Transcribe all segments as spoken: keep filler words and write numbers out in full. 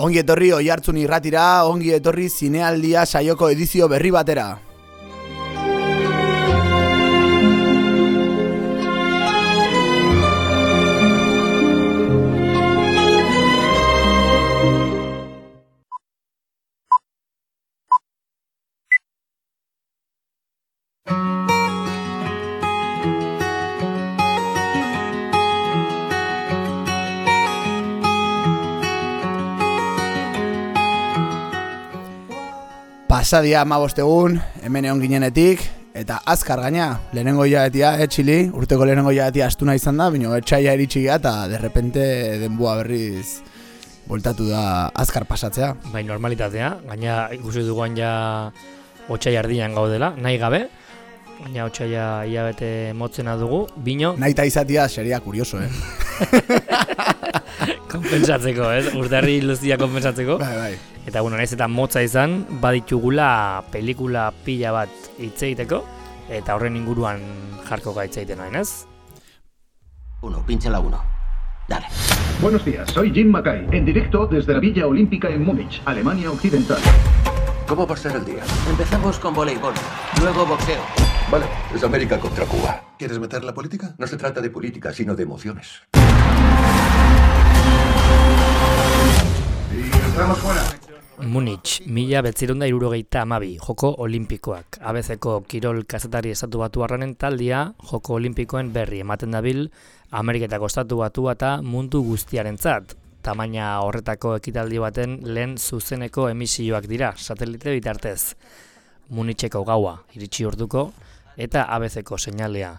Ongi etorri Oihartzun irratira, ongi etorri zinealdia saioko edizio berri batera. Pasadia hamabost egun, hemen egon ginenetik, eta azkar gaina, lehenengo hilabetia, eh, Txili, urteko lehenengo hilabetia astuna izan da, baina etxaia iritsi gara, eta derrepente denbua berriz voltatu da azkar pasatzea. Bai, normalitatea, gaina ikusi duguan ja otsaila erdian gaudela, nahi gabe, gaina otsaila hilabete motzena dugu, bino... Nahi eta izatia seria kurioso, eh? Konpensatzeko, ez? Urtarri luzia konpensatzeko. Bai, bai. Eta, bueno, naiz eta motza izan, baditugula pelikula pila bat hitz egiteko, eta horren inguruan jarko hitz egiten nahi, ez? Uno, pinche la uno. Dale. Buenos días, soy Jim Mackay, en directo desde la Villa Olímpica en Múnich, Alemania Occidental. ¿Cómo va a ser el día? Empezamos con voleibol, luego boxeo. Vale, es América contra Cuba. ¿Quieres meter la política? No se trata de política, sino de emociones. Y entramos fuera. Munich, mila betzirunda irurogeita amabi, joko olimpikoak. Abezeko kirol kazetari estatu batu arranen taldia, joko olimpikoen berri ematen dabil, Ameriketako estatu batu eta mundu guztiarentzat. Tamaina horretako ekitaldi baten lehen zuzeneko emisioak dira, satelite bitartez. Municheko gaua, iritsi orduko, eta abezeko seinalea.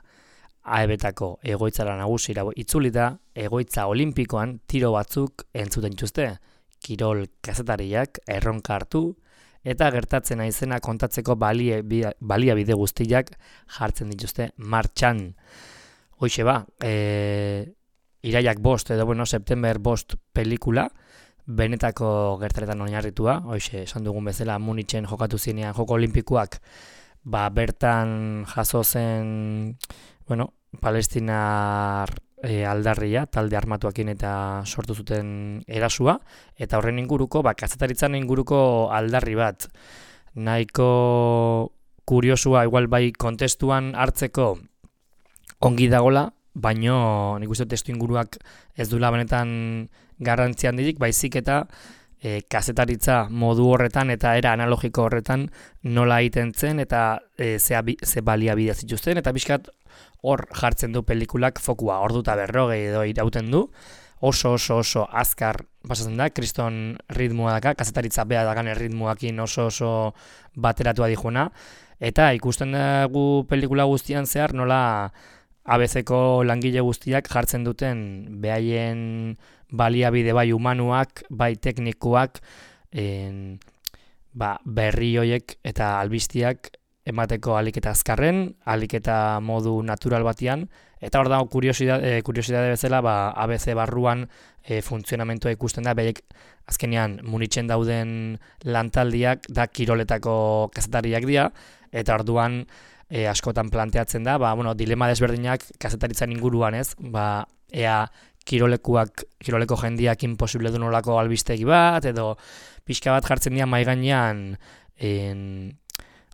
A E B-tako egoitzara nagusira itzulita, egoitza olimpikoan tiro batzuk entzuten txuzte. Kirol kazetariak erronka hartu eta gertatzen aizena kontatzeko balie, baliabide guztiak jartzen dituzte martxan. Hoixe ba, e, iraiak bost edo bueno, september bost pelikula, benetako gertaretan oinarritua, hoixe esan dugun bezala Munichen jokatu zinean joko olimpikoak, ba bertan jaso zen, bueno, palestinar E, aldarria, talde armatuakin eta sortu zuten erasua, eta horren inguruko, ba, kazetaritzan inguruko aldarri bat. Nahiko kuriosua, igual bai kontestuan hartzeko ongi dagola, baino nik uste testu inguruak ez dula benetan garrantzian dirik, baizik eta e, kazetaritza modu horretan eta era analogiko horretan nola egiten zen eta e, ze, ze baliabidea zituzten, eta pixkat hor jartzen du pelikulak fokua, orduta berrogei edo irauten du, oso oso oso azkar pasatzen da, kriston ritmoa daka, kazetaritza beha dakan ritmoakin oso oso bateratua dijuna, eta ikusten dugu pelikula guztian zehar nola abezeko langile guztiak jartzen duten behaien baliabide bai humanuak, bai teknikoak, en, ba, berri hoiek eta albistiak emateko alik eta azkarren, alik eta modu natural batian, eta hor dago kuriosidade, kuriosidade bezala, ba, A B C barruan e, funtzionamentua ikusten da, behiek azkenean Munichen dauden lantaldiak da kiroletako kazetariak dira, eta orduan e, askotan planteatzen da, ba, bueno, dilema desberdinak kazetaritzan inguruan ez, ba, ea kirolekuak, kiroleko jendiak imposible du nolako albistegi bat, edo pixka bat jartzen dira mahai gainean en,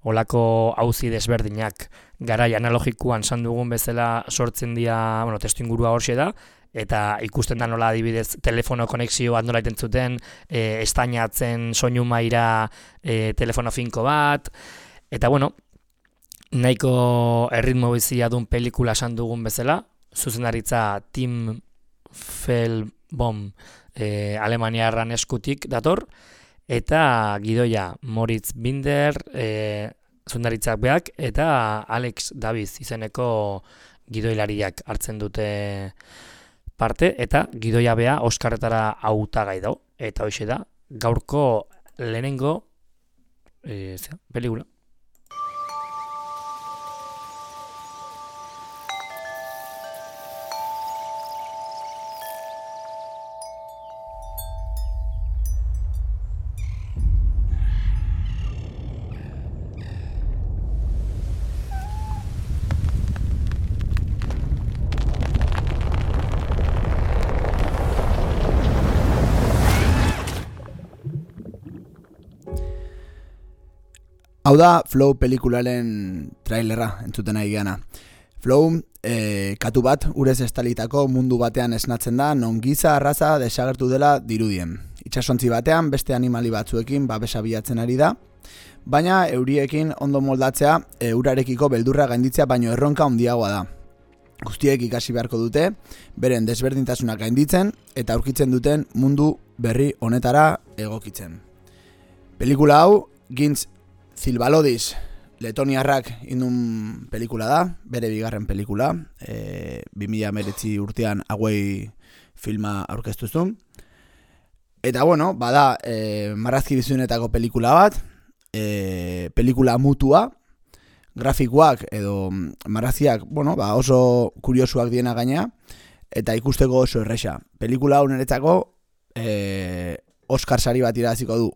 olako auzi desberdinak garai analogikoan san dugun bezala sortzen dira, bueno, testu ingurua horxe da, eta ikusten da nola adibidez telefono konexio bat nola iten zuten, e, estainatzen soinu maira e, telefono finko bat, eta bueno, nahiko erritmo bizia duen pelikula san dugun bezala, zuzendaritza Tim Fehlbaum e, Alemaniarran eskutik dator, eta gidoia Moritz Binder, e, zundaritzak beak, eta Alex Davies izeneko gidoilariak hartzen dute parte, eta gidoia bea Oskarretara hautagai dago, eta hoxe da, gaurko lehenengo e, zera, pelikula. Hau da Flow pelikularen trailerra entzuten nahi geana. Flow e, katu bat urez estalitako mundu batean esnatzen da non giza arraza desagertu dela dirudien. Itsasontzi batean beste animali batzuekin babesa bilatzen ari da, baina euriekin ondo moldatzea e, urarekiko beldurra gainditzea baino erronka handiagoa da. Guztiek ikasi beharko dute, beren desberdintasunak gainditzen eta aurkitzen duten mundu berri honetara egokitzen. Pelikula hau Gintz Zilbalodis letoniarrak indun pelikula da, bere bigarren pelikula, e, bi mila hemeretzi urtean hauei filma aurkeztu zuen. Eta bueno, bada e, marrazki bizunetako pelikula bat, e, pelikula mutua, grafikoak edo marraziak, bueno, ba oso kuriosuak diena gaina, eta ikusteko oso erresa. Pelikula hau niretzako e, Oscar sari bat irabaziko du,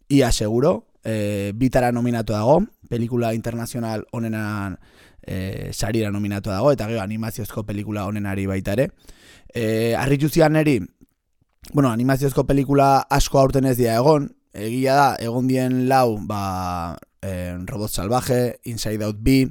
ia seguro, e, bitara nominatu dago, pelikula internazional onenan e, sarira nominatu dago, eta gero animaziozko pelikula onenari baita ere. E, Arritu zian neri, bueno, animaziozko pelikula asko aurten ez dira egon, egia da, egon dien lau, ba, eh, Robot Salvaje, Inside Out bi,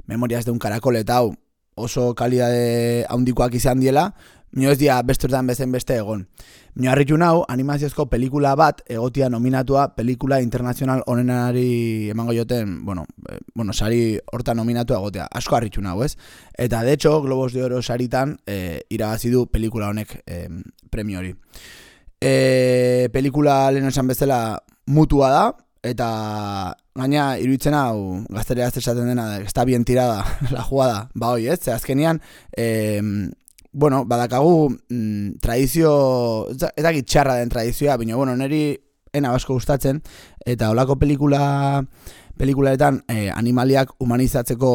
Memorias de un Caracol eta hau oso kalidade handikoak izan diela, mino ez dira besturtan bezen beste egon. Mino harritu nau, animaziozko pelikula bat egotia nominatua pelikula internazional onenari emango joten, bueno, eh, bueno, sari horta nominatua egotea, asko harritu nau, ez? Eta de hecho, Globos de Oro saritan eh, irabazi du pelikula honek eh, premio hori. E, pelikula lehen esan bezala mutua da, eta gaina iruditzen hau gaztereaz esaten dena, está bien tirada la jugada, ba hoi, ez? Ze azkenian, e, bueno, badakagu mm, tradizio, ez dakit txarra den tradizioa, baina, bueno, neri ena asko gustatzen, eta holako pelikula pelikulaetan eh, animaliak humanizatzeko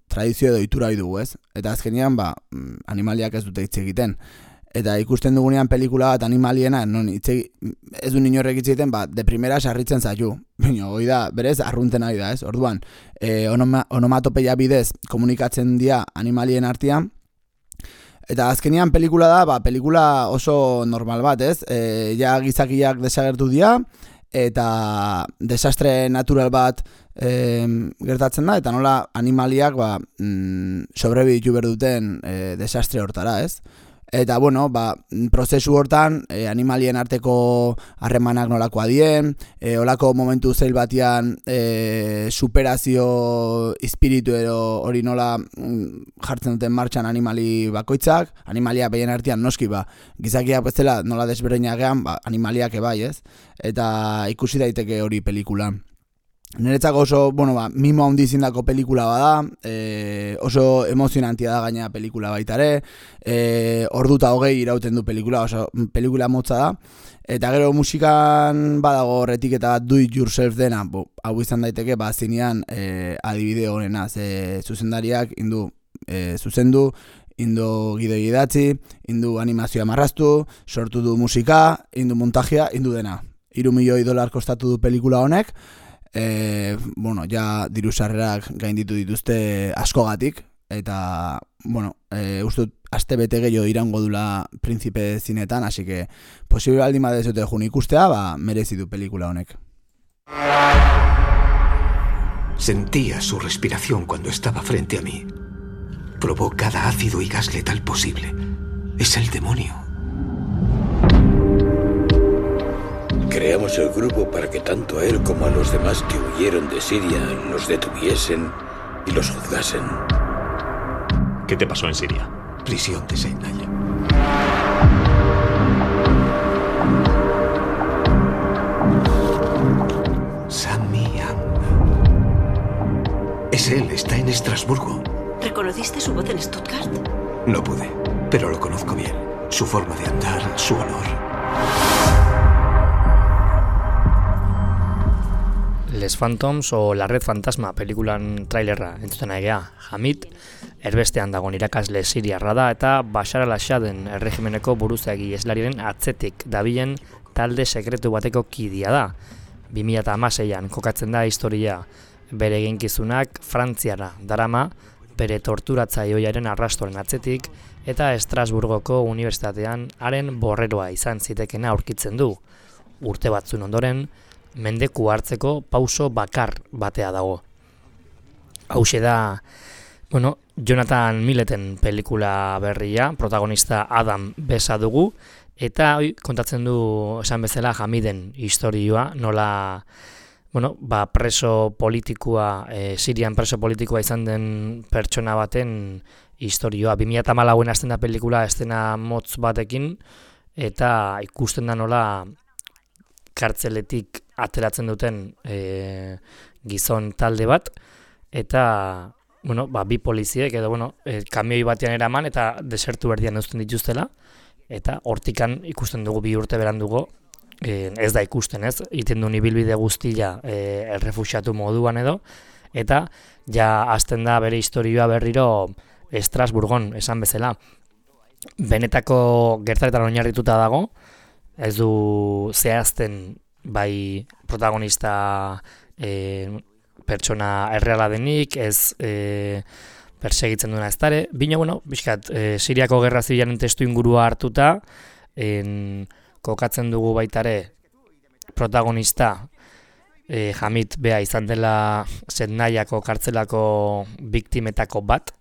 tradizio edo itura dugu, ez? Eta azkenian, ba, animaliak ez dute hitz egiten. Eta ikusten dugunean pelikula bat animaliena, non itxe, ez du inorrek hitz egiten, ba, de primera sarritzen zaitu. Baina, hoi da, berez, arrunten ari da, ez? Orduan, e, onoma, onomatopeia bidez komunikatzen dira animalien artean, eta azkenian pelikula da, ba, pelikula oso normal bat, ez? E, ja gizakiak desagertu dira, eta desastre natural bat e, gertatzen da, eta nola animaliak ba, mm, sobrebiditu berduten e, desastre hortara, ez? Eta, bueno, ba, prozesu hortan, e, animalien arteko harremanak nolakoa dien, e, olako momentu zeil batian e, superazio espiritu edo hori nola mm, jartzen duten martxan animali bakoitzak, animaliak behien artean noski, ba, gizakiak bezala nola desberdinak gean, ba, animaliak ebai, ez? Eta ikusi daiteke hori pelikula. Niretzako oso, bueno, ba, mimo handi zindako pelikula bada, e, oso emozionantia da gaina pelikula baita ere, e, orduta hogei irauten du pelikula, oso pelikula motza da, eta gero musikan badago horretik eta do it yourself dena, bo, hau izan daiteke, ba, zinean e, adibide honena, ze zuzendariak indu, e, zuzendu, indu gidoi idatzi, indu animazioa marraztu, sortu du musika, indu montajea, indu dena. Hiru milioi dolar kostatu du pelikula honek, E, bueno, ja diru sarrerak gainditu dituzte askogatik, eta, bueno, e, uste dut aste bete gehiago irango dula Príncipe zinetan, así que posible baldin badezote jun ikustea, ba, merezi du pelikula honek. Sentía su respiración cuando estaba frente a mí. Probó cada ácido y gas letal posible. Es el demonio. Creamos el grupo para que tanto a él como a los demás que huyeron de Siria los detuviesen y los juzgasen. ¿Qué te pasó en Siria? Prisión de Seinaya. Sami Am. Es él, está en Estrasburgo. ¿Reconociste su voz en Stuttgart? No pude, pero lo conozco bien. Su forma de andar, su olor. Les Phantoms o La Red Fantasma pelikulan trailerra entzuten egea. Hamid, erbestean dagoen irakasle siriarra da eta Bashar al-Assaden erregimeneko buruzagi eslariren atzetik dabilen talde sekretu bateko kidia da. bi mila hamaseian kokatzen da historia, bere eginkizunak Frantziara darama, bere torturatzaioiaren arrastoren atzetik eta Estrasburgoko unibertsitatean haren borreroa izan zitekena aurkitzen du. Urte batzun ondoren, mendeku hartzeko pauso bakar batea dago. Hauxe da, bueno, Jonathan Milleten pelikula berria, protagonista Adam Besa dugu, eta oi, kontatzen du esan bezala Hamiden historioa, nola bueno, ba, preso politikoa, e, Sirian preso politikoa izan den pertsona baten historioa. bi mila hamalauen hasten da pelikula estena motz batekin, eta ikusten da nola kartzeletik ateratzen duten e, gizon talde bat, eta bueno, ba, bi poliziek edo bueno, e, kamioi batean eraman eta desertu erdian uzten dituztela, eta hortikan ikusten dugu bi urte berandugo, e, ez da ikusten ez, iten duen ibilbide guztia e, errefuxiatu moduan edo, eta ja hasten da bere historioa berriro Estrasburgon esan bezala. Benetako gertaretan oinarrituta dago, ez du zehazten bai protagonista e, pertsona erreala denik, ez e, persegitzen duena ez dare. Bino, bueno, bizkat, e, Siriako gerra zibilaren testu ingurua hartuta, en, kokatzen dugu baitare protagonista e, Hamid bea izan dela Zendaiako kartzelako biktimetako bat,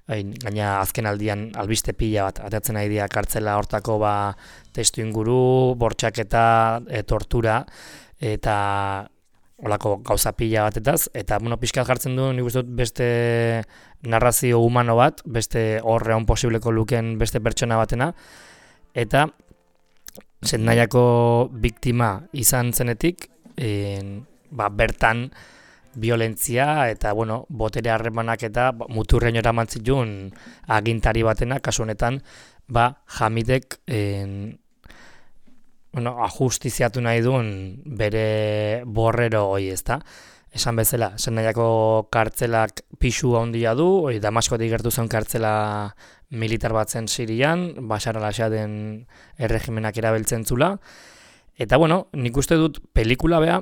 gaina azken aldian albiste pila bat atatzen nahi dira kartzela hortako ba, testu inguru, bortxaketa, e, tortura, eta olako gauza pila batetaz, eta bueno, pixkat jartzen du nik uste dut beste narrazio humano bat, beste horreon posibleko luken beste pertsona batena, eta Zendaiako biktima izan zenetik, en, ba, bertan violentzia eta bueno, botere harremanak eta muturreño eraman zituen agintari batena, kasu honetan, ba, Hamidek en, bueno, ajustiziatu nahi duen bere borrero hoi, ezta. Esan bezala, Zendaiako kartzelak pisu handia du, oi, Damaskotik gertu zen kartzela militar bat zen Sirian, Bashar al-Assaden erregimenak erabiltzen zula. Eta bueno, nik uste dut pelikula bea,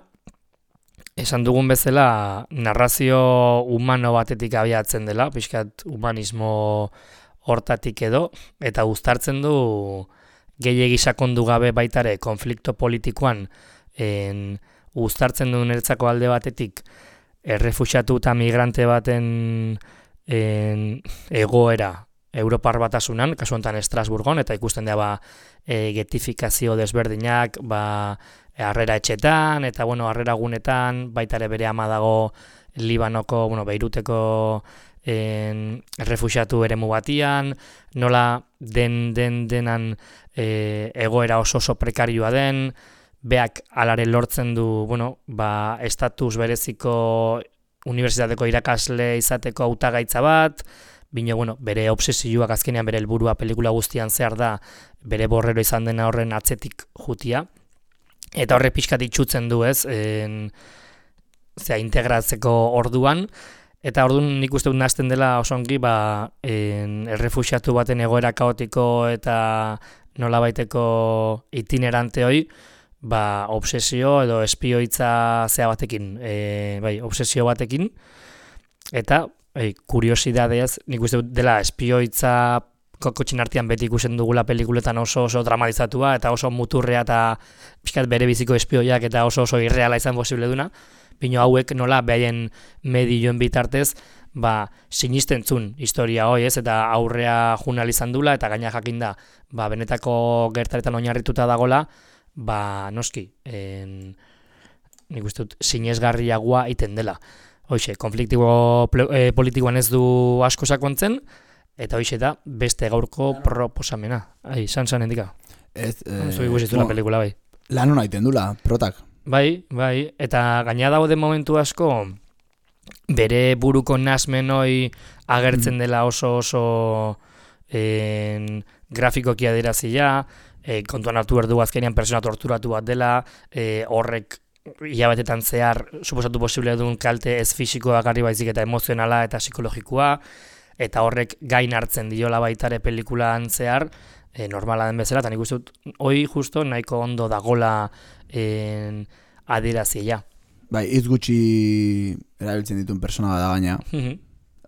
esan dugun bezala narrazio humano batetik abiatzen dela, pixkat humanismo hortatik edo, eta uztartzen du gehiegi sakondu gabe baitare konflikto politikoan en, uztartzen du niretzako alde batetik errefuxiatu eta migrante baten en, egoera Europar batasunan, kasu honetan Estrasburgon, eta ikusten da ba, e, getifikazio desberdinak, ba, harrera etxetan, eta bueno, harrera gunetan, baita ere bere ama dago Libanoko, bueno, Beiruteko en, errefuxiatu eremu batian, nola den den denan e, egoera oso oso prekarioa den, beak alare lortzen du, bueno, ba, estatus bereziko unibertsitateko irakasle izateko hautagaitza bat, bino, bueno, bere obsesioak azkenean bere helburua pelikula guztian zehar da, bere borrero izan dena horren atzetik jutia, eta horre pixkat itxutzen du ez, en, zera, integratzeko orduan, eta orduan nik uste dut nazten dela osongi, ba, en, errefuxiatu baten egoera kaotiko eta nolabaiteko itinerante hoi, ba, obsesio edo espioitza zea batekin, e, bai, obsesio batekin, eta e, kuriosidadez, nik uste dut dela espioitza kokotxin artean beti ikusten dugula pelikuletan oso oso dramatizatua eta oso muturrea eta pixkat bere biziko espioiak eta oso oso irreala izan posible duna, bino hauek nola behaien medioen bitartez, ba, sinisten zun historia hoi ez, eta aurrea junal izan dula, eta gaina jakin da, ba, benetako gertaretan oinarrituta dagola, ba, noski, en, nik uste dut, sinesgarriagoa iten dela. Hoxe, konfliktibo e, politikoan ez du asko sakontzen, eta hoxe da, beste gaurko proposamena. Ai, san san endika. Ez, eh, Zui guzitu la pelikula, bai. Lan hona iten dula, protak. Bai, bai, eta gaina dago momentu asko, bere buruko nasmen hoi agertzen dela oso oso en, grafikoki adierazia, e, kontuan hartu behar du azkenean persona torturatu bat dela, e, horrek hilabetetan zehar suposatu posible duen kalte ez fisikoa garri baizik eta emozionala eta psikologikoa, eta horrek gain hartzen diola baitare pelikulan zehar, e, normala den bezala, eta nik uste dut, hoi justo nahiko ondo dagola en, adierazia. Bai, hitz gutxi erabiltzen dituen persona da gaina.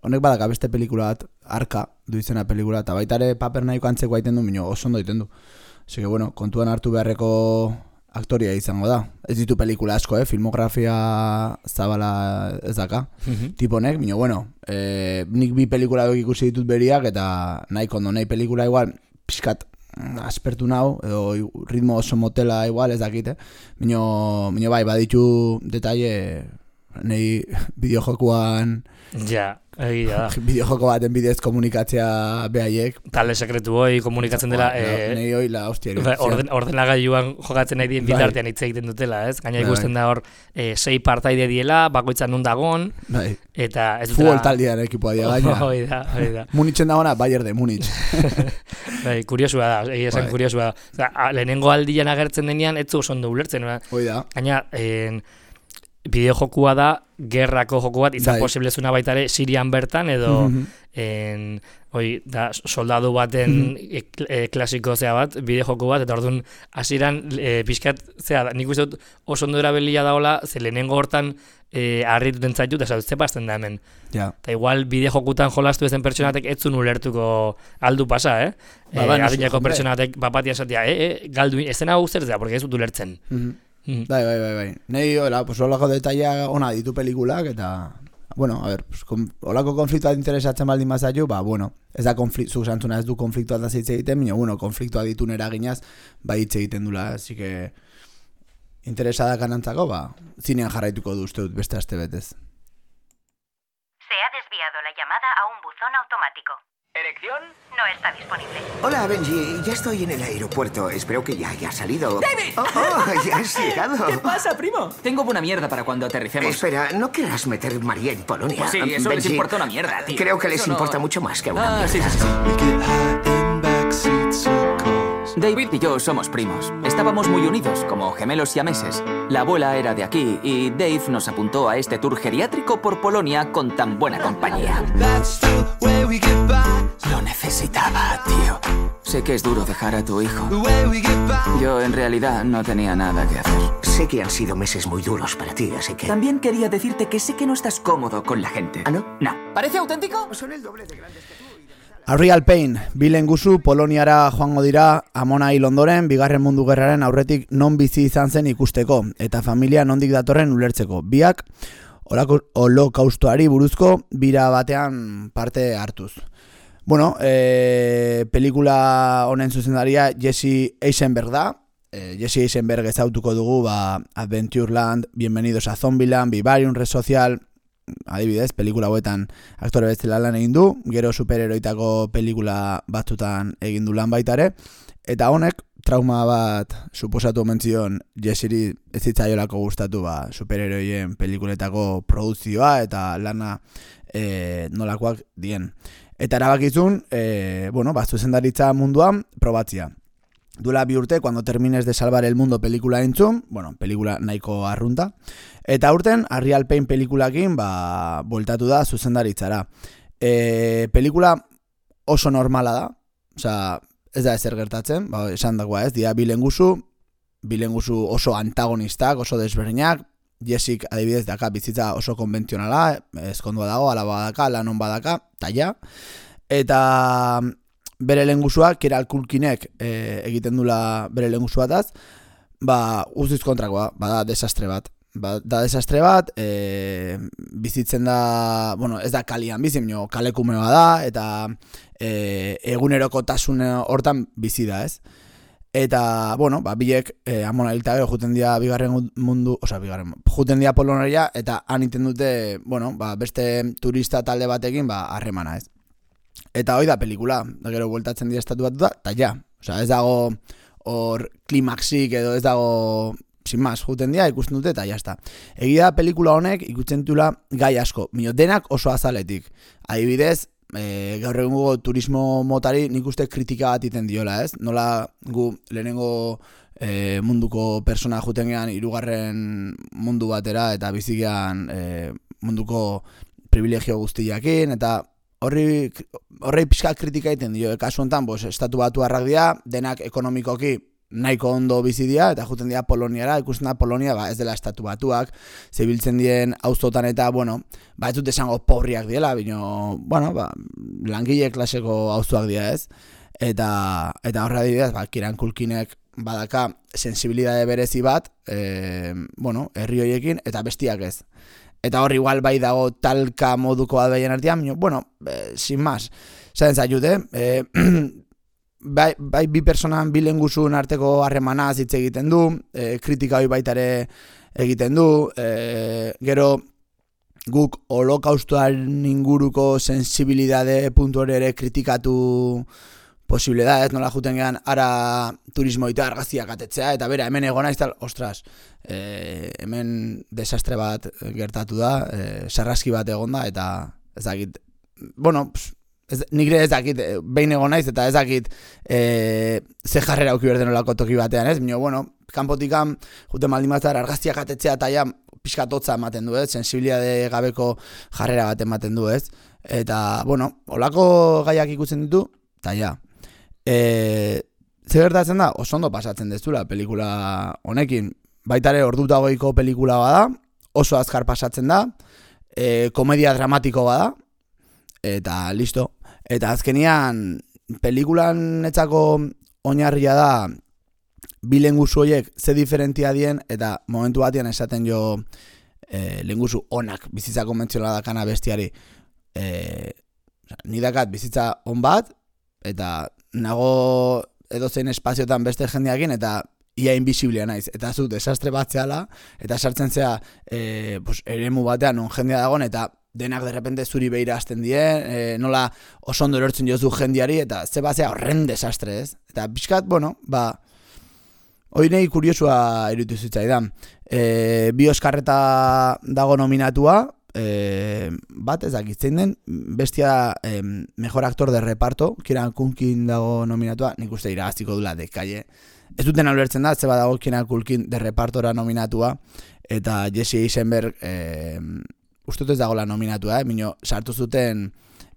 Honek badaka beste pelikula bat, Arka, du izena pelikula, eta baitare paper nahiko antzeko aiten du, minio, oso ondo aiten du. Así que, bueno, kontuan hartu beharreko aktoria izango da. Ez ditu pelikula asko, eh? Filmografia zabala ez daka. Mm-hmm. Tiponek, baina, bueno, eh, nik bi pelikula ikusi ditut beriak, eta nahi kondo, nahi pelikula igual, pixkat, aspertu nau, edo ritmo oso motela igual, ez dakite. Baina, bai, baditu detalle, nahi bideojokuan... Ja, egia da. Bideojoko baten bidez komunikatzea behaiek. Talde sekretu hoi komunikatzen dela... Eh, Nei hoi la hostia. Orden, ordenagailuan jokatzen nahi dien bitartean hitz egiten dutela, ez? Gaina ikusten da hor eh, sei partaide diela, bakoitzan nun dagon, bai. Eta ez dutela... Futbol taldean ekipoa dia gaina. Hoi da, hoi da. Munitzen dagoena, Bayern de Munich. Bai, kuriosua da, egia esan kuriosua da. Oza, lehenengo aldian agertzen denean, ez zu oso ondo ulertzen. Hoi da. Gaina, en... bideojokua da, gerrako joku bat, izan posiblezuna baita ere Sirian bertan, edo mm-hmm. en, oi, da, soldadu baten mm-hmm. e, e, klasiko zea bat, bideojoku bat, eta orduan hasieran e, pixkat, zea, nik uste dut oso ondo erabilia daola, ze lehenengo hortan e, harrituten zaitu, eta ze pasten da hemen. Ja. Eta igual bideojokutan jolastu ezen pertsonatek ez zuen ulertuko aldu pasa, eh? Ba, e, adineko pertsonatek bapatia esatea, e, e, galdu, ezena hau zer zea, porque ez dut ulertzen. Mm-hmm. Mm. Bai, bai, bai, bai. Nei, hola, pues holako detaila ona ditu pelikulak, eta, bueno, a ver, pues, kon, holako konfliktua interesatzen baldin bazaitu, ba, bueno, ez da konfliktu, zuk santzuna ez du konfliktua da hitz egiten, baina, bueno, konfliktua ditu eraginaz, bai hitz egiten dula, así que, interesada kanantzako, ba, zinean jarraituko du uste dut beste aste betez. Se ha desviado la llamada a un buzón automático. ¿Erección? No está disponible. Hola, Benji. Ya estoy en el aeropuerto. Espero que ya hayas salido. ¡David! Oh, oh, ya has llegado. ¿Qué pasa, primo? Tengo buena mierda para cuando aterricemos. Espera, ¿no querrás meter María en Polonia? Pues sí, eso Benji, les importa una mierda, tío. Creo que les eso importa no... mucho más que a una ah, mierda. Sí, sí, sí. David y yo somos primos. Estábamos muy unidos, como gemelos siameses. La abuela era de aquí y Dave nos apuntó a este tour geriátrico por Polonia con tan buena compañía. Lo necesitaba, tío. Sé que es duro dejar a tu hijo. Yo, en realidad, no tenía nada que hacer. Sé que han sido meses muy duros para ti, así que... También quería decirte que sé que no estás cómodo con la gente. ¿Ah, no? No. ¿Parece auténtico? Son el doble de grandes que tú. A Real Pain, bi lenguzu Poloniara joango dira Amona hil ondoren Bigarren Mundu Gerraren aurretik non bizi izan zen ikusteko eta familia nondik datorren ulertzeko. Biak holokaustoari buruzko bira batean parte hartuz. Bueno, eh, pelikula honen zuzendaria Jesse Eisenberg da. Eh, Jesse Eisenberg ezautuko dugu ba, Adventureland, Bienvenidos a Zombieland, Vivarium, Red Social... Adibidez, pelikula hauetan aktore bezala lan egin du, gero superheroitako pelikula batzutan egin du lan baita ere, eta honek trauma bat suposatu omentzion Jessiri ez zitzaiolako gustatu ba, superheroien pelikuletako produzioa eta lana e, nolakoak dien. Eta erabakizun, e, bueno, ba, zuzendaritza munduan probatzia. Duela bi urte, cuando termines de salvar el mundo pelikula entzun, bueno, pelikula nahiko arrunta, eta urten, Real Pain pelikulakin, ba, bueltatu da zuzendaritzara. E, pelikula oso normala da, osea, ez da ezer gertatzen, ba, esan dagoa ez, dia bilenguzu, bilenguzu oso antagonistak, oso desberdinak, Jessik adibidez daka bizitza oso konbentzionala, ezkondua dago, alaba daka, lanon badaka, ta ja, eta... bere lehengusua, Keral Culkinek e, egiten dula bere lehengusuataz, ba, guztiz kontrakoa, bada desastre bat. Ba, da desastre bat, e, bizitzen da, bueno, ez da kalian bizi, baina kalekumeoa da, eta e, egunerokotasun hortan bizi da, ez? Eta, bueno, ba, biek, e, Amona hilta gero, juten dia bigarren mundu, oza, bigarren, juten dia Polonaria, eta han iten dute, bueno, ba, beste turista talde batekin, ba, harremana, ez? Eta hoi da pelikula, da gero bueltatzen dira estatu bat da, eta ja, osea, ez dago hor klimaxik edo ez dago, sin más, juten dira, ikusten dute, eta jazta. Egia pelikula honek ikusten dutela gai asko, mino denak oso azaletik. Adibidez, e, gaur egungo turismo motari nik uste kritika bat iten diola, ez? Nola gu lehenengo e, munduko persona juten gean hirugarren mundu batera, eta bizigean e, munduko privilegio guztiakin, eta Horri, horri pixka kritika egiten dio, e, kasu honetan, bos, estatu batu harrak dira, denak ekonomikoki nahiko ondo bizi dira, eta juten dira Poloniara, ikusten da Polonia, ba, ez dela estatu batuak, zebiltzen dien auzotan eta, bueno, ba, ez dut esango pobriak diela, bino, bueno, ba, langile klaseko auzoak dira, ez? Eta, eta horra dira, ba, Keral Culkinek badaka sensibilidade berezi bat, e, bueno, herri horiekin, eta bestiak ez. Eta hor igual bai dago talka moduko bat behien artean, bueno, e, sin más, zaten zaiut, eh? bai, bai bi personan bi lehengusuen arteko harremanaz hitz egiten du, e, kritika hori baitare egiten du, e, gero guk holokaustoaren inguruko sensibilidade puntu hori ere kritikatu posible da, ez nola juten gehan ara turismo eta argazkiak atetzea, eta bera, hemen egon naiz tal, ostras, e, hemen desastre bat gertatu da, e, sarraski bat egon da, eta ez dakit, bueno, ez, nigre ez dakit, behin egon naiz, eta ez dakit e, ze jarrera auki berden olako toki batean, ez? Bino, bueno, kanpotikan juten maldin batzar argazkiak atetzea, eta ja, pixkatotza ematen du, ez? Sensibiliade gabeko jarrera bat ematen du, ez? Eta, bueno, olako gaiak ikutzen ditu, eta ja. E, ze gertatzen da, oso ondo pasatzen dezula pelikula honekin, baitare orduta goiko pelikula bada, oso azkar pasatzen da, e, komedia dramatiko bada, eta listo. Eta azkenian, pelikulan etzako oinarria da, bi lenguzu horiek ze diferentia dien, eta momentu batean esaten jo e, lenguzu onak bizitza konbentzionala dakana bestiari. E, ni dakat bizitza on bat, eta nago edozein espaziotan beste jendeakin, eta ia invisiblea naiz. Eta zu, desastre bat zehala, eta sartzen zea e, pues, eremu batean on jendea dagoen, eta denak derrepente zuri behira hasten die, e, nola oso ondo erortzen jozu jendeari, eta ze bat zea horren desastre, ez? Eta pixkat, bueno, ba, hori nahi kuriosua irutu zitzaidan. E, bi Oskarreta dago nominatua, e, bat ez dakitzen den, bestia e, mejor actor de reparto, Kieran Culkin dago nominatua, nik uste iragaziko dula dekaie. Ez duten alertzen da, zeba dago Kieran Culkin de repartora nominatua, eta Jesse Eisenberg e, uste ez dagoela nominatua, eh? Mino, sartu zuten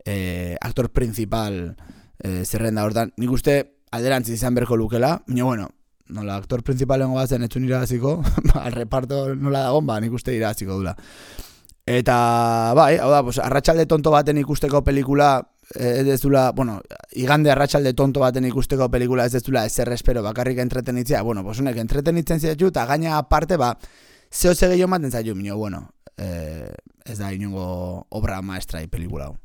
e, aktor principal e, zerrenda hortan. Nik uste alderantziz izan berko lukela, mino, bueno, nola aktor principalen goazen etzun iragaziko, al reparto nola dagon, ba, nik uste iragaziko dula. Eta, bai, hau da, pues, arratsalde tonto baten ikusteko pelikula, ez dezula, bueno, igande arratsalde tonto baten ikusteko pelikula ez dezula ezer espero bakarrik entretenitzea, bueno, pues honek entretenitzen zaitu, eta gaina aparte, ba, zeo ze gehiago maten zaitu, mino, bueno, eh, ez da inongo obra maestra pelikula hau.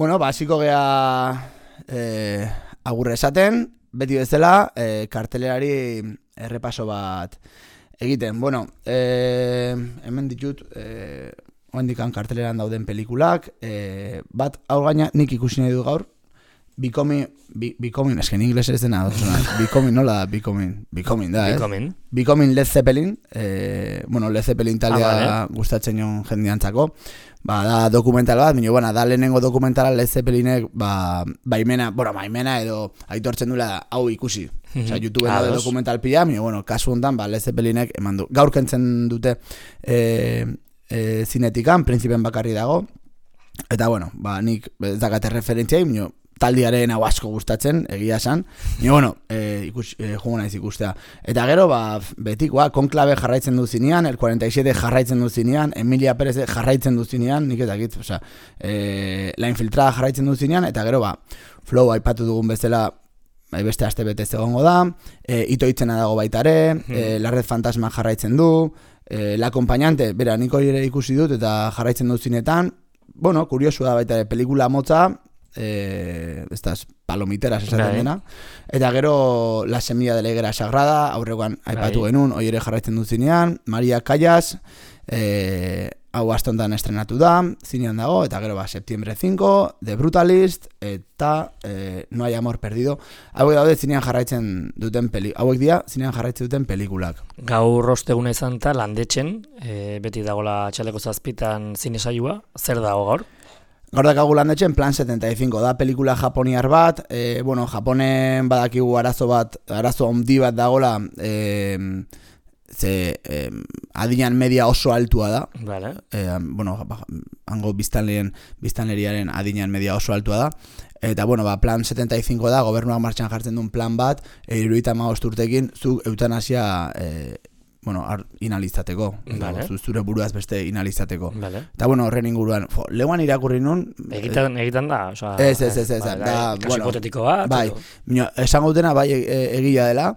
Bueno, basiko gea eh, agurre esaten, beti bezala, eh, kartelerari errepaso bat egiten. Bueno, eh, hemen ditut, eh, oendikan karteleran dauden pelikulak, eh, bat hau gaina nik ikusi nahi du gaur, Becoming, be, Becoming, esken ingles ez dena, Becoming, nola da, Becoming, Becoming da, eh? Becoming. Becoming Led Zeppelin, eh, bueno, Led Zeppelin taldea ah, vale. gustatzen joan jendeantzako, ba, da dokumental bat, minio, bueno, da lehenengo dokumentala Led Zeppelinek, ba, baimena, bueno, baimena edo aitortzen duela hau ikusi. Osea, YouTubeen ah, da dokumental pila, minio, bueno, kasu hontan, ba, Led Zeppelinek eman du. Gaur kentzen dute eh, eh, zinetikan, Prinzipen bakarri dago, eta, bueno, ba, nik ez dakate referentziai, minio, taldiaren hau asko gustatzen, egia esan. Ni, bueno, e, ikus, e, jugo naiz ikustea. Eta gero, ba, betikoa, Konklabe jarraitzen du zinean, el cuarenta y siete jarraitzen du zinean, Emilia Pérez jarraitzen du zinean, nik ez dakit, osea, e, La Infiltrada jarraitzen du zinean, eta gero, ba, Flow aipatu dugun bezala, bai, beste aste betez egongo da, e, Ito Itzena dago baitare, hmm. e, La Red Fantasma jarraitzen du, e, La Acompañante, bera, niko ere ikusi dut, eta jarraitzen du zinetan, bueno, kuriosu da baitare, pelikula motza, eh, estas palomiteras esaten dena, eta gero La Semilla de la Higuera Sagrada, aurrekoan aipatu genuen, hori ere jarraitzen du zinean, Maria Callas, eh, hau astontan estrenatu da, zinean dago, eta gero ba, Septiembre cinco, The Brutalist, eta eh, No hay amor perdido, hauek daude zinean jarraitzen duten peli, hauek dira zinean jarraitzen duten pelikulak. Gaur osteguna izan eta landetxen, eh, beti dagoela txaleko zazpitan zine saioa, zer dago gaur? Gaur dakagu landetxen Plan setenta y cinco da pelikula japoniar bat, eh, bueno, Japonen badakigu arazo bat, arazo handi bat dagola, eh, ze eh, adinan media oso altua da. Vale. Eh, bueno, hango biztanleen, biztanleriaren adinean media oso altua da. Eta, bueno, ba, plan setenta y cinco da, gobernuak martxan jartzen duen plan bat, hirurogeita hamabost urtekin, zu eutanasia e, bueno, ar, inalizateko. Vale. Zu, zure buruaz beste inalizateko. Vale. Eta, bueno, horren inguruan, fo, leuan irakurri nun... Egitan, egitan da, oza... Ez, ez, ez, ez, bai, da, kasu bueno, hipotetiko bat. Bai, bino, esan gautena, bai, e, egia dela,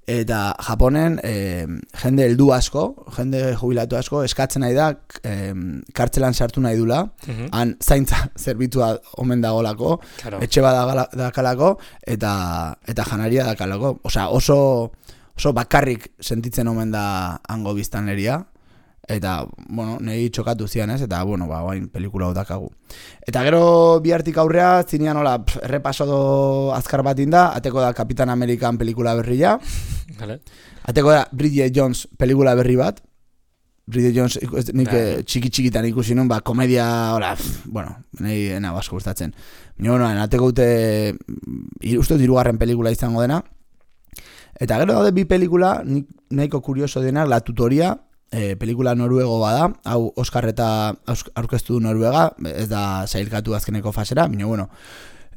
eta Japonen e, jende heldu asko, jende jubilatu asko, eskatzen nahi da, e, kartzelan sartu nahi dula, Mhm. han zaintza zerbitua omen dagolako, Claro. etxe bat dakalako, eta, eta janaria dakalako. Osea, oso, oso bakarrik sentitzen omen da hango biztanleria, eta, bueno, nahi txokatu zian ez, eta, bueno, ba, bain pelikula hau dakagu. Eta gero bihartik aurrea, zinean hola, pf, errepaso do azkar bat inda, ateko da Kapitan Amerikan pelikula berria, Vale. ateko da Bridget Jones pelikula berri bat, Bridget Jones ikus- nik Bai. eh, txiki-txikitan ikusi nun, ba, komedia, hola, pf, bueno, nahi ena basko gustatzen. Baina, bueno, ateko dute, ir- uste dut hirugarren pelikula izango dena, eta gero daude bi pelikula, nik nahiko kurioso denak, La Tutoria, e, pelikula noruego bada, hau Oscar eta aus- aurkeztu du Noruega, ez da sailkatu azkeneko fasera, baina bueno,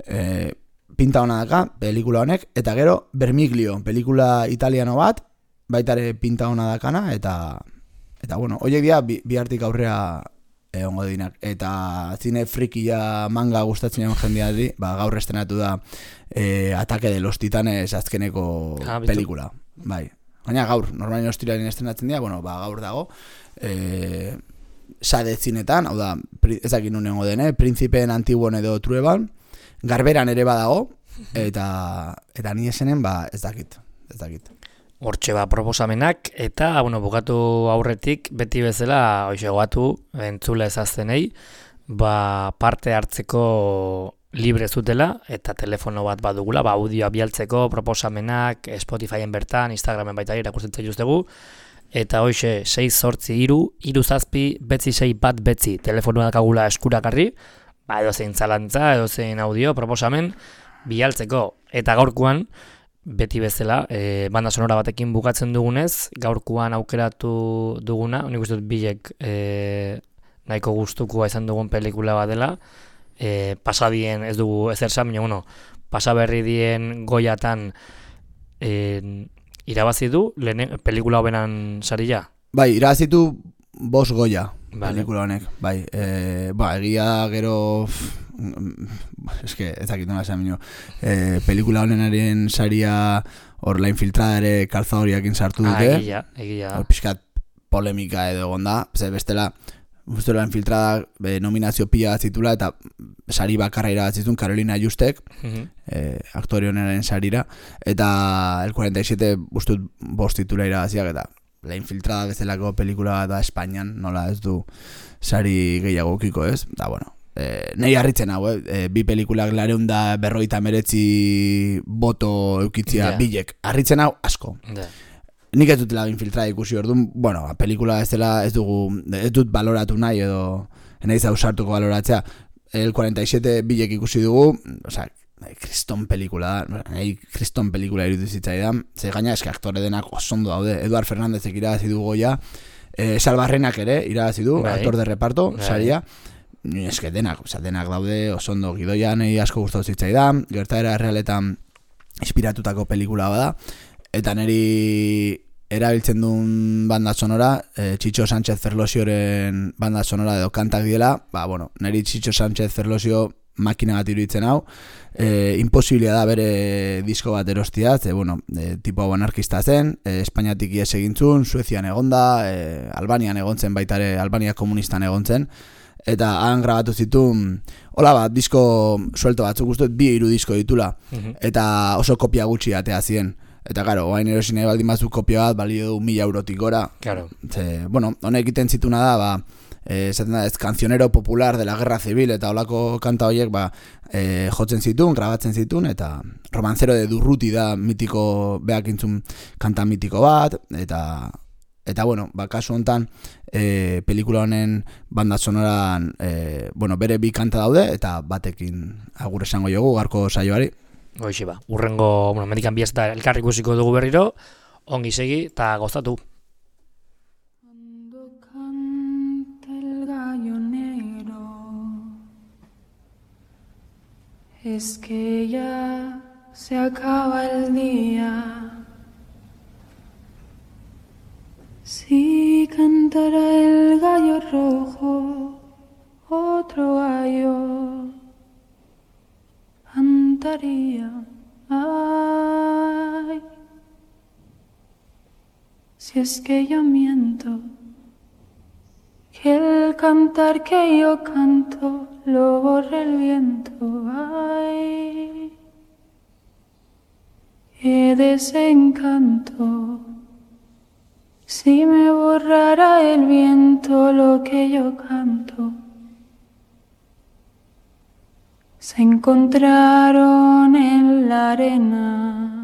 e, pinta hona daka, pelikula honek, eta gero Vermiglio, pelikula italiano bat, baitare pinta hona dakana, eta eta bueno, hoiek dira bi, bihartik aurrea egongo dinak, eta zine frikia manga gustatzen egon jendeari, ba, gaur estrenatu da e, Ataque de los Titanes azkeneko Ah, bitu. pelikula, bai. Baina gaur, normalin ostiraren estrenatzen dira, bueno, ba, gaur dago, e, sade zinetan, hau da, pri, ezakin nunengo dene, Principeen Antiguon edo Trueban, Garberan ere badago, eta eta ni esenen, ba, ez dakit, ez dakit. Hortxe ba proposamenak, eta, bueno, bukatu aurretik, beti bezala, hoxe goatu, entzula ezaztenei, ba, parte hartzeko libre zutela, eta telefono bat badugula, ba, audioa bialtzeko, proposamenak, Spotifyen bertan, Instagramen baita irakurtzen justegu, eta hoxe, sei zortzi iru, iru zazpi, betzi sei bat betzi, telefonoa dakagula eskurakarri, ba, edo zein zalantza, edo zein audio, proposamen, bialtzeko, eta gaurkoan, beti bezala, e, banda sonora batekin bukatzen dugunez, gaurkoan aukeratu duguna, nik uste dut bilek e, nahiko gustukoa izan dugun pelikula bat dela, e, pasadien ez dugu ezer esan, baina bueno, pasaberri dien goiatan e, irabazi du, lehen, pelikula hobenan saria? Bai, irabazitu bost goia, Vale. pelikula honek, bai, e, ba, egia da gero, eske, ez dakit nola esan minio, e, pelikula honenaren saria, hor La Infiltrada ere Calzadoriakin sartu Ah, dute, egia, egia. hor pixkat polemika edo egonda, ze bestela, uste La Infiltrada be, nominazio pila bat zitula, eta sari bakarra irabazizun Carolina Justek, Mhm. eh, aktore honenaren sarira, eta el cuarenta y siete ustut bost titula irabaziak, eta La Infiltrada bezalako pelikula bat da Espainian, nola ez du sari gehiago ukiko, ez? Da, bueno, eh, nahi harritzen hau, eh? E, bi pelikulak lareun da berroita meretzi boto eukitzia Ja. bilek. Harritzen hau asko. Da. Nik ez dut La Infiltrada ikusi orduan, bueno, ba, pelikula ez dela ez dugu, ez dut baloratu nahi edo nahi ausartuko baloratzea. El cuarenta y siete bilek ikusi dugu, osea, kriston pelikula da, nahi kriston pelikula irutu zitzaidan, ze gaina eske aktore denak osondo daude, Eduard Fernándezek irabazi du goia, eh, Salbarrenak ere irabazi du, Bai. actor de reparto, Bai. saria, eske denak, osea, denak daude osondo, Gidoia nahi asko gustatu zitzaidan, gertaera errealetan inspiratutako pelikula bada, eta niri erabiltzen duen banda sonora, eh, Txitxo Sánchez Ferlosioren banda sonora edo kantak diela, ba, bueno, niri Txitxo Sánchez Ferlosio makina bat iruditzen hau, eh, imposibilia da bere disko bat erostia, ze, bueno, eh, tipo hau anarkista zen, eh, Espainiatik ies egintzun, Suezian egonda, eh, Albanian egontzen baitare, Albania komunistan egontzen, eta han grabatu zituen, hola bat, disko suelto batzuk guztu, bi hiru disko ditula, Mhm. eta oso kopia gutxi atea ziren. Eta, karo, oain erosin nahi baldin batzuk kopia bat, balio du mila eurotik gora. Claro. Ze, bueno, honek egiten zituna da, ba, eh, esaten da, ez cancionero popular de la guerra civil, eta holako kanta horiek, ba, eh, jotzen zituen, grabatzen zituen, eta Romancero de Durruti da mitiko, beak intzun kanta mitiko bat, eta, eta bueno, ba, kasu hontan, eh, pelikula honen banda sonoran, eh, bueno, bere bi kanta daude, eta batekin agur esango jogu, garko saioari. Hoxe ba, urrengo, bueno, medikan biaz eta elkarri ikusiko dugu berriro, ongi segi eta gozatu. El gallo negro es que ya se acaba el día. Si cantara el gallo rojo, otro gallo cantaría. Ay, si es que yo miento, que el cantar que yo canto lo borra el viento. Ay, qué desencanto. Si me borrara el viento lo que yo canto. Se encontraron en la arena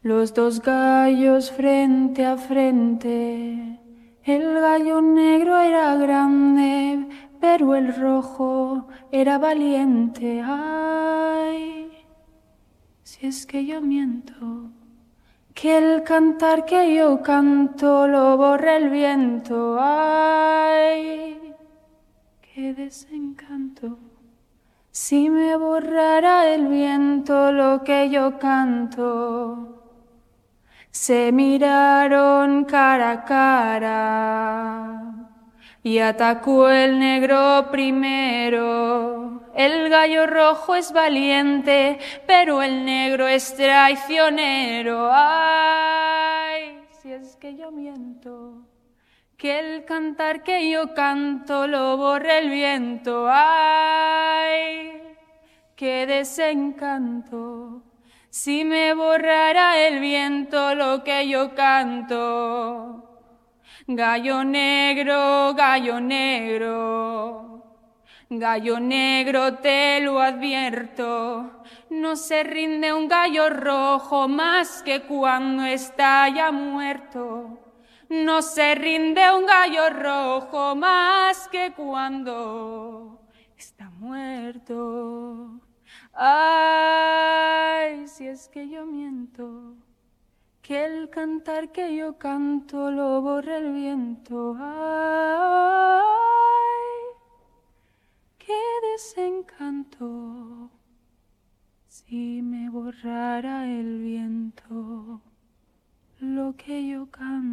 los dos gallos frente a frente. El gallo negro era grande, pero el rojo era valiente. Ay, si es que yo miento, que el cantar que yo canto lo borra el viento. Ay, qué desencanto. Si me borrara el viento lo que yo canto. Se miraron cara a cara y atacó el negro primero. El gallo rojo es valiente, pero el negro es traicionero. Ay, si es que yo miento, que el cantar que yo canto lo borra el viento. Ay, qué desencanto. Si me borrara el viento lo que yo canto. Gallo negro, gallo negro, gallo negro te lo advierto, no se rinde un gallo rojo más que cuando está ya muerto. No se rinde un gallo rojo más que cuando está muerto. Ay, si es que yo miento, que el cantar que yo canto lo borra el viento. Ay, qué desencanto. Si me borrara el viento lo que yo canto.